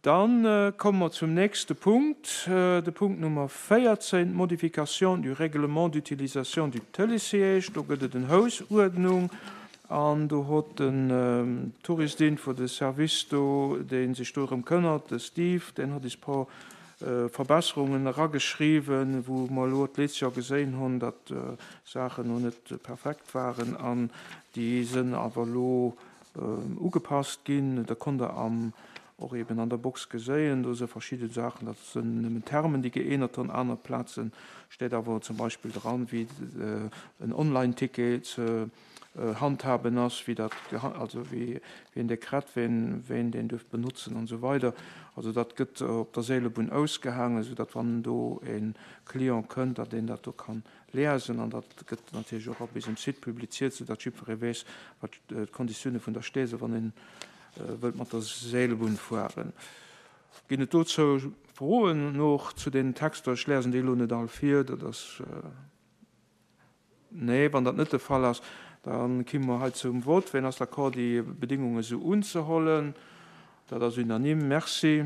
Dann komme mer zum nächste Punkt, de Punkt Nummer 14, d'Modification du règlement d'utilisation du Télésiège. Do gëtt et en Hausuerdnung an do hott den Touristinfo, de Service do, dee sech dorëm kënnert, de Steve, deen hott is por Verbesserungen erageschriwwen, wou mer elo d'leetz Joer geséin hunn, datt Saachen no net perfekt waren an déi sënn awer elo ugepasst ginn. Da konnt Der am och eben an der Box geséien, do se verschidde Saachen, dat sënn nëmmen Termen, déi geännert hunn. Aner Plaze steet awer zum Beispill dran, wéi en Online-Ticket ze handhaben ass, wéi dat, also wéi een dee kritt, ween ween deen duerf benotzen an esou weider. Also dat gëtt op der Seelebunn ausgehaangen, esou datt wann do e Client kënnt, datt een dat do kann liesen. An dat gëtt natierlech och op eisem Site publiziert, esou datt jiddweree weess, wat d'Konditioune vun der Stee sinn, wann een wëllt mat der Seelebunn fueren. Ginn et dozou Froen och zu deenen Texter? Ech liesen déi elo net all vir, dat ass. Nee, wann dat net de Fall ass, da kimme mer hei zum Vott. Wien ass d'accord, déi Bedéngunge sou unzehollen? Dat ass unanime. Merci.